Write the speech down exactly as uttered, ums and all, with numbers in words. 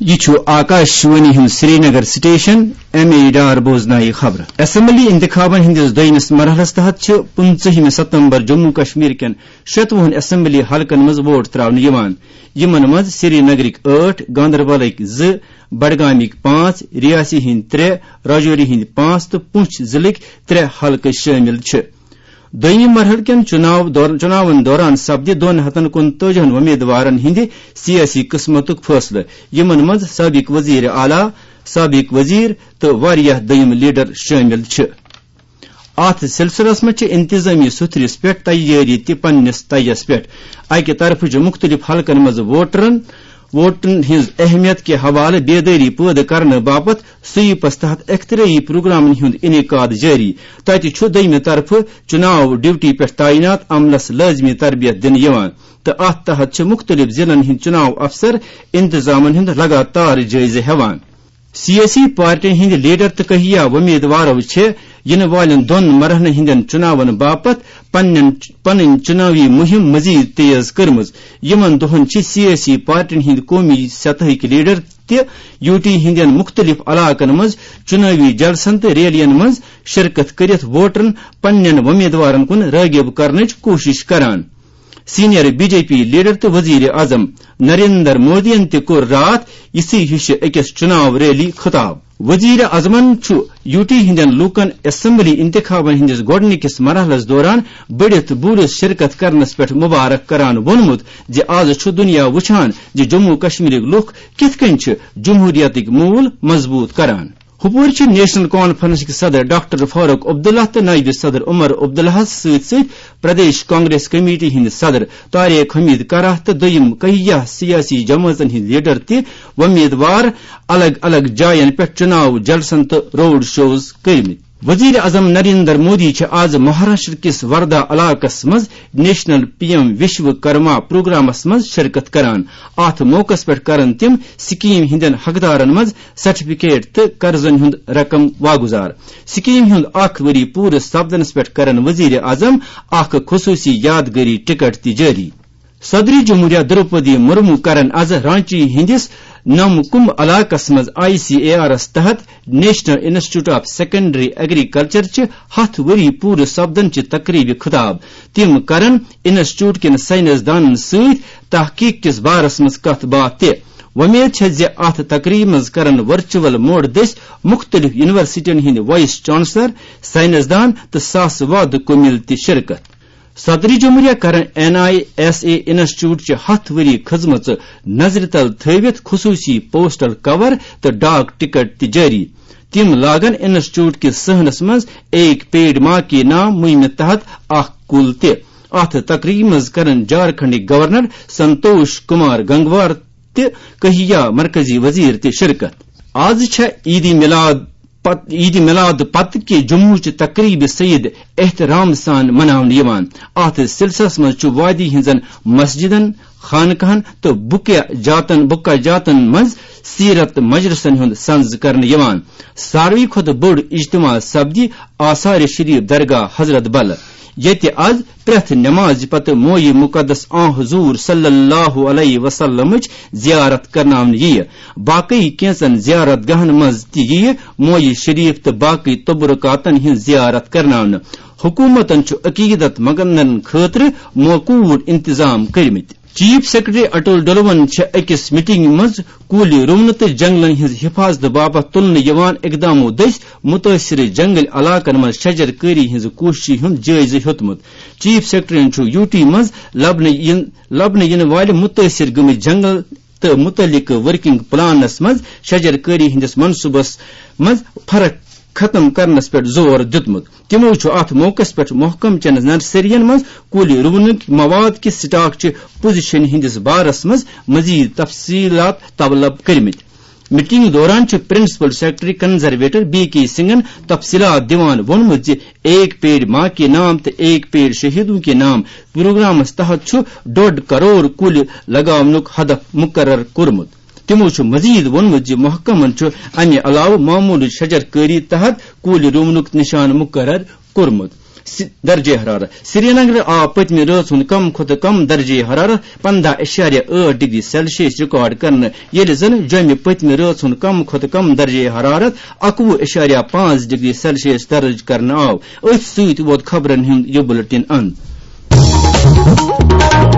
یہِ چھُ آکاش وانی ہُنٛد Srinagar station. M A Dar بوزنایہِ خبرٕ۔ اسمبلی انتخابن ہٕنٛدِس دوٚیمِس مرحلس تحت چھِ پٕنٛژٕہمہِ ستمبر جموں کشمیر کٮ۪ن شتوُہن اسمبلی حلقن منٛز ووٹ تراونہٕ یِوان، یِمن منٛز سرینگرٕکۍ ٲٹھ، گاندربلٕکۍ زٕ، بڈگامٕکۍ پانٛژھ، ریاسی ہٕنٛدۍ ترٛےٚ، راجوری ہٕنٛدۍ پانٛژھ تہٕ پونچھ ضلعٕکۍ ترٛےٚ حلقہٕ شٲمِل چھِ۔ دوٚیمہِ مرحلہٕ کٮ۪ن چُناو دور-، چُناون دوران سپدِ دۄن ہتن کُنتٲجِہن وۄمیدوارن ہٕنٛدِ سیٲسی قٕسمتُک فٲصلہٕ، یِمن منٛز سٲبِق وزیر اعلیٰ، سٲبِق وزیر تہٕ واریاہ دوٚیم لیڈر شٲمِل چھِ۔ اتھ سلسلس منٛز چھِ انتظامی سُتھرِس پٮ۪ٹھ تیٲری تہِ پننِس تیس پٮ۪ٹھ۔ اکہِ طرفہٕ چھِ مُختٔلِف حلقن منٛز ووٹرن، ووٹن ہٕنٛز اہمیت کہِ حوالہٕ بیدٲری پٲدٕ کرنہٕ باپتھ سویپس تحت اختراعی پروگرامن ہُنٛد انعقاد جٲری۔ تتہِ چھُ دوٚیمہِ طرفہٕ چُناو ڈیوٹی پٮ۪ٹھ تعینات عملس لٲزمی تربیت دِنہٕ یِوان تہٕ اتھ تحت چھِ مُختٔلِف ضلعن ہٕنٛدۍ چُناو افسر انتظامن ہُنٛد لگاتار جٲیزٕ ہٮ۪وان۔ سیٲسی پارٹین ہٕنٛدۍ لیڈر تہٕ کہیا وۄمیدوارو چھِ یِنہٕ والٮ۪ن دۄن مرحلن ہٕنٛدٮ۪ن چُناون باپتھ پننٮ۪ن، پنٕنۍ چُناوی مُہِم مزید تیز کٔرمٕژ۔ یِمن دۄہن چھِ سیٲسی پارٹین ہٕنٛدۍ قومی سطحٕکۍ لیڈر تہِ یوٗ ٹی ہٕنٛدٮ۪ن مُختٔلِف علاقن منٛز چُناوی جلسن تہٕ ریلین منٛز شرکت کٔرِتھ ووٹرن پننٮ۪ن وۄمیدوارن کُن رٲغب کرنٕچ کوٗشش کران۔ Senior B J P leader تہٕ وزیر اعظم نریندر مودیَن تہِ کوٚر راتھ یِژھٕے ہِشہِ أکِس چُناو ریلی خطاب۔ وزیر اعظمن چھُ یوٗ ٹی ہٕنٛدٮ۪ن لوٗکن اسمبلی انتخابن ہٕنٛدِس گۄڈٕنِکِس مرحلس دوران بٔڑِتھ بوٗرِس شرکت کرنس پٮ۪ٹھ مبارک کران ووٚنمُت زِ از چھُ دُنیا وُچھان زِ جموں کشمیرٕکۍ لوٗکھ کِتھ کٔنۍ چھِ جمہوریتٕکۍ موٗل مضبوٗط کران۔ ہُپٲرۍ چھِ نیشنل کانفرنسٕکۍ صدر ڈاکٹر فاروق عبداللہ تہٕ نٲیِب صدر عمر عبداللہَس سۭتۍ سۭتۍ پردیش کانگریس کمیٹی ہٕنٛدۍ صدر طارق حمید کراہ تہٕ دوٚیِم کہیا سیٲسی جمٲژن ہٕنٛدۍ لیڈر تہِ وۄمیدوار الگ الگ جاین پٮ۪ٹھ چُناو جلسن تہٕ روڈ شوز کٔرمٕتۍ۔ وزیر اعظم نریندر مودی چھِ از مہاراشٹر کِس وردھا علاقس منٛز نیشنل پی ایم وشو کرما پروگرامس منٛز شرکت کران۔ اتھ موقعس پٮ۪ٹھ کرن تِم سکیٖم ہٕنٛدٮ۪ن حقدارن منٛز سرٹیفکیٹ تہٕ قرضن ہُنٛد رقم واگُزار۔ سکیٖم ہُنٛد اکھ ؤری پوٗرٕ سپدنس پٮ۪ٹھ کرن وزیر اعظم اکھ خصوٗصی یادگٲری ٹکٹ تہِ جٲری۔ صدر جمہوریہ دروپدی مرمو کرن از رانچی ہٕنٛدِس نم کمب علاقس منٛز آئی سی اے آرس تحت national institute of secondary agriculture چہِ ہتھ ؤری پوٗرٕ سپدن چہِ تقریبہِ خطاب۔ تِم کرن انسٹیٹیوٹ کٮ۪ن سائنس دانن سۭتۍ تحقیق کِس بارس منٛز کتھ باتھ تہِ۔ وۄمید چھےٚ زِ اتھ تقریبہِ منٛز کرن ورچوئل موڈ دٔسۍ مُختٔلِف یونیورسٹین ہٕنٛدۍ وائس چانسلر، سائنس دان تہٕ ساسہٕ وادٕ کُمِل تہِ شرکت۔ صدر جمہوریہ کرن N I S A institute چہِ ہتھ ؤری خدمژٕ نظرِ تل تھٲوِتھ خصوٗصی پوسٹل کور تہٕ ڈاک ٹکٹ تہِ جٲری۔ تِم لاگن انسٹیٹیوٹ کِس صحنس منٛز ایک پیڑ ماں کے نام مُہِمہِ تحت اکھ کُل تہِ۔ اتھ تقریبہِ منٛز کرن جھارکھنڈٕکۍ گورنر سنتوش کمار گنگوار تہٕ کہیا مرکزی وزیر تہِ شرکت۔ از چھےٚ عید میلاد پت-، عید میلاد پتہٕ کہِ جموں چہِ تقریبہِ سعید احترام سان مناونہٕ یِوان۔ اتھ سلسلس منٛز چھُ وادی ہٕنٛزن مسجدن، خانقاہن تہٕ بُکہ جاتن، بُکہ جاتن منٛز سیرت مجلسن ہُنٛد سنز کرنہٕ یِوان۔ ساروی کھۄتہٕ بوٚڑ اجتماع سپدِ آثار شریف درگاہ حضرت بل، ییٚتہِ از پرٛٮ۪تھ نمازِ پتہٕ مویہِ مقدس آن حضور صلی اللہ علیہ وسلمٕچ زیارت کرناونہٕ یِیہِ۔ باقٕے کینٛژن زیارت گاہن منٛز تہِ یِیہِ مویہِ شریف تہٕ باقٕے تبرکاتن ہٕنٛز زیارت کرناونہٕ۔ حکومتن چھُ عقیدت مندن خٲطرٕ موقوٗر انتظام کٔرمٕتۍ۔ چیف سیکرٹری اٹل ڈلون چھےٚ أکِس میٹنگہِ منٛز کُلۍ رُونہٕ تہٕ جنگلن ہٕنٛز حفاظتہٕ باپتھ تُلنہٕ یِوان اقدامو دٔسۍ مُتٲثرٕ جنگل علاقن منٛز شجر کٲری ہٕنٛز کوٗششہِ ہُنٛد جٲیزٕ ہیوٚتمُت۔ چیف سیکرٹریَن چھُ یوٗ ٹی منٛز لبنہٕ یِن-، لبنہٕ یِنہٕ والہِ مُتٲثر گٔمٕتۍ جنگل تہٕ مُتعلقہٕ ورکنگ پلانس منٛز شجر کٲری ہٕنٛدِس منصوٗبس منٛز فرق ختم کرنس پٮ۪ٹھ زور دیُتمُت۔ تِمو چھُ اتھ موقعس پٮ۪ٹھ محکمہٕ چٮ۪ن نرسرین منٛز کُلۍ رُونٕکۍ مواد کہِ سٹاک چہِ پوزیشن ہٕنٛدِس بارس منٛز مزید تفصیلات طلب کٔرمٕتۍ۔ میٹنگ دوران چھُ پرنسپل سیکرٹری کنزرویٹر بی کے سنگھن تفصیلات دِوان ووٚنمُت زِ ایک پیڑ ماں کے نام تہٕ ایک پیڑ شہیدوں کے نام پروگرامس تحت چھُ ڈوڈ کرور کُلۍ لگاونُک ہدف مقرر کوٚرمُت۔ تِمو چھُ مزید ووٚنمُت زِ محکمن چھُ امہِ علاوٕ معموٗلٕچ شجر کٲری تحت کُلۍ رُونُک نشانہٕ مقرر کوٚرمُت۔ درجہ حرارت۔ سری نگرٕ آو پٔتمہِ رٲژ ہُنٛد کم کھۄتہٕ کم درجہ حرارت پنٛداہ اعشاریہ ٲٹھ ڈگری سیلسیس ریکارڈ کرنہٕ، ییٚلہِ زن جوٚمہِ پٔتمہِ رٲژ ہُنٛد کم کھۄتہٕ کم درجہ حرارت اکوُہ اعشاریہ پانٛژھ ڈگری سیلسیس درج کرنہٕ آو۔ أتھۍ سۭتۍ ووت خبرن ہُنٛد یہِ بُلٹن اند۔